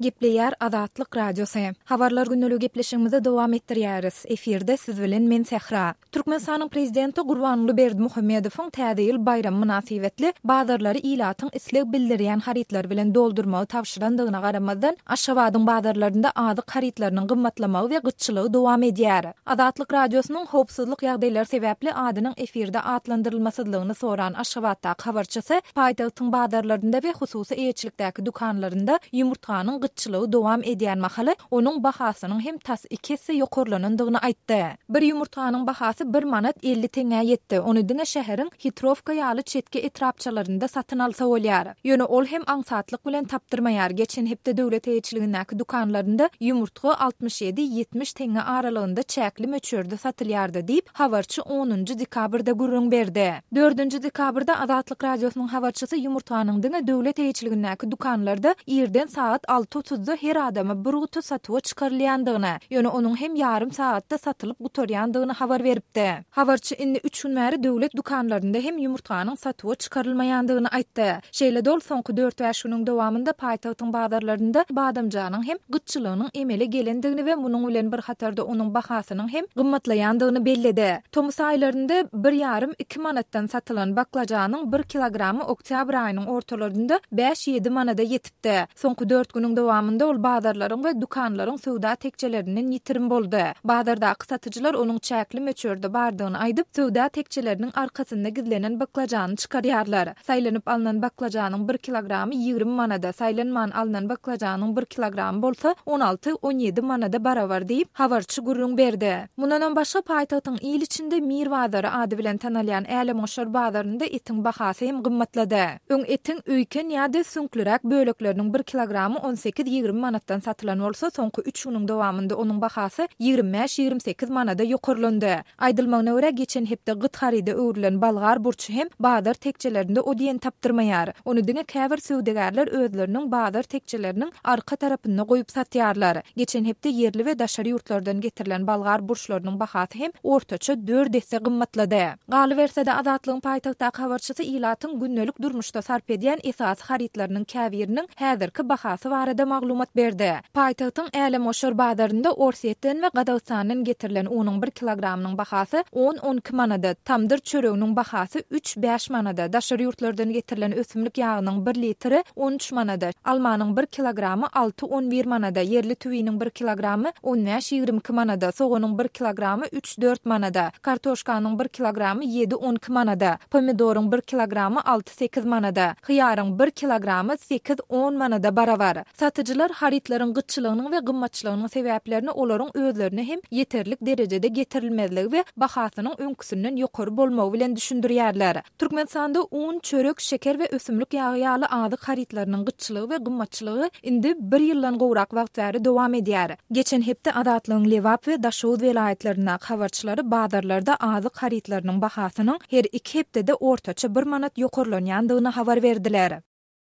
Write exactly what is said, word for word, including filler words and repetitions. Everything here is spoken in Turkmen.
Gepleýär Azatlyk Radiosy. Habarlar gündeligi gepleşigimizi dowam etdirýäris. Efirde siz bilen men Sähra. Türkmenistanyň Prezidenti Gurbanguly Berdimuhamedowyň Täze ýyl baýramy mynasybetli bazarlary ilatyň isleg bildirýän harytlary bilen doldurmagy tabşyrandygyna garamazdan, Aşgabadyň bazarlarynda azyk harytlarynyň gymmatlamagy we gytçylygy dowam edýär. Azatlyk Radiosynyň howpsuzlyk ýagdaýlary sebäpli adynyň efirde atlandyrylmasyzlygyny soran Aşgabatdaky habarçysy paýtagtyň bazarlarynda we hususy eýeçilikdäki dükanlarynda ýumurtganyň gytçylygy dowam edýän mahaly onuň bahasynyň hem tas iki esse ýokarlanandygyny aýtdy. Bir ýumurtganyň bahasy bir manat elli teňňä ýetdi. Ony diňe şäheriň Hitrowka ýaly çetki etrapçalarynda satyn alsa bolýar. Ýöne ol hem aňsatlyk bilen tapdyrmaýar. Geçen hepde döwlet eýeçiligindäki dükanlarynda ýumurtga altmyş ýedi, ýetmiş teňňe aralygynda çäkli möçberde satylýardy diýip, habarçy onunjy dekabrda gürrüň berdi. Dördünji dekabrda Azatlyk Radiosynyň habarçysy ýumurtganyň diňe döwlet eýeçiligindäki dükanlarda irden sagat alty otuzda her adama bir guty satuwa çykarylýandygyny, ýöne onuň hem ýarym sagatda satylyp gutarýandygyny habar beripdi. Habarçy indi üç gün bäri döwlet dükanlarynda hem ýumurtganyň satuwa çykarylmaýandygyny aýtdy. Şeýle-de ol soňky dört-bäş günüň dowamynda paýtagtyň bazarlarynda badamjanyň hem gytçylygynyň emele gelendigini we munuň bilen bir hatarda onuň bahasynyň hem gymmatlaýandygyny belledi. Tomus aýlarynda bir ýarym-iki manatdan satylan baklajanyň bir kilogramy oktýabr aýynyň ortalarynda bäş-ýedi manada ýetipdi. Soňky dört günüň dowamynda ol bazarlaryň we dükanlaryň söwda tekjelerinden ýitirim boldy. Bazardaky satyjylar onuň çäkli möçberde bardygyny aýdyp, söwda tekjeleriniň arkasynda gizlenen baklajany çykarýarlar. Saýlanyp alnan baklajanyň bir kilogramy ýigrimi manada, saýlanman alnan baklajanyň bir kilogramy bolsa on alty, on ýedi manada barabar diýip, habarçy gürrüň berdi. Mundanam başga, paýtagtyň il içinde Mir bazary ady bilen tanalýan Älemgoşar bazarynda etiň bahasy hem gymmatlady. Öň etiň öýken ýa-da süňkliräk bölekleriniň bir kilogramy on sekiz-ýigrimi manatdan satylan bolsa, soňky üç günüň dowamynda onuň bahasy ýigrimi bäş-ýigrimi sekiz manada ýokarlandy. Aýdylmagyna görä, geçen hepde gyt haryda öwrülen bolgar burçy hem bazar tekjelerinde o diýen tapdyrmaýar. Ony diňe käbir söwdagärler özleriniň bazar tekjeleriniň arka tarapynda goýup satýarlar. Geçen hepde ýerli we daşary ýurtlardan getirilen bolgar burçlarynyň bahasy hem ortaça dört esse gymmatlady. Galyberse-de, Azatlygyň paýtagtdaky habarçysy ilatyň gündelik durmuşda sarp edýän esasy harytlarynyň käbiriniň häzirki bahasy barada maglumat berdi. Paýtagtyň Älemgoşar bazarynda Orsýetden we Gazagystandan getirilen unuň bir kilogramynyň bahasy on-on iki manada, tamdyr çöreginiň bahasy üç-bäş manada, daşary ýurtlardan getirilen ösümlik ýagynyň bir litri on üç manada, almanyň bir kilogramy alty-on bir manada, ýerli tüwiniň bir kilogramy on bäş-ýigrimi iki manada, soganyň bir kilogramy üç-dört manada, kartoşkanyň bir kilogramy ýedi-on iki manada, pomidoryň bir kilogramy alty-sekiz manada, hyýaryň bir kilogramy sekiz-on manada barabar. Satyjylar harytlaryň gytçylygynyň we gymmatçylygynyň sebäplerini olaryň özlerine hem ýeterlik derejede getirilmezligi we bahasynyň öňküsinden ýokary bolmagy bilen düşündirýärler. Türkmenistanda un, çörek, şeker we ösümlik ýagy ýaly azyk harytlarynyň gytçylygy we gymmatçylygy indi bir ýyldan gowrak wagt bäri dowam edýär. Geçen hepde Azatlygyň Lebap we Daşoguz welaýatlaryndaky habarçylary bazarlarda azyk harytlarynyň bahasynyň her iki hepdede ortaça bir manat ýokarlanýandygyny habar berdiler.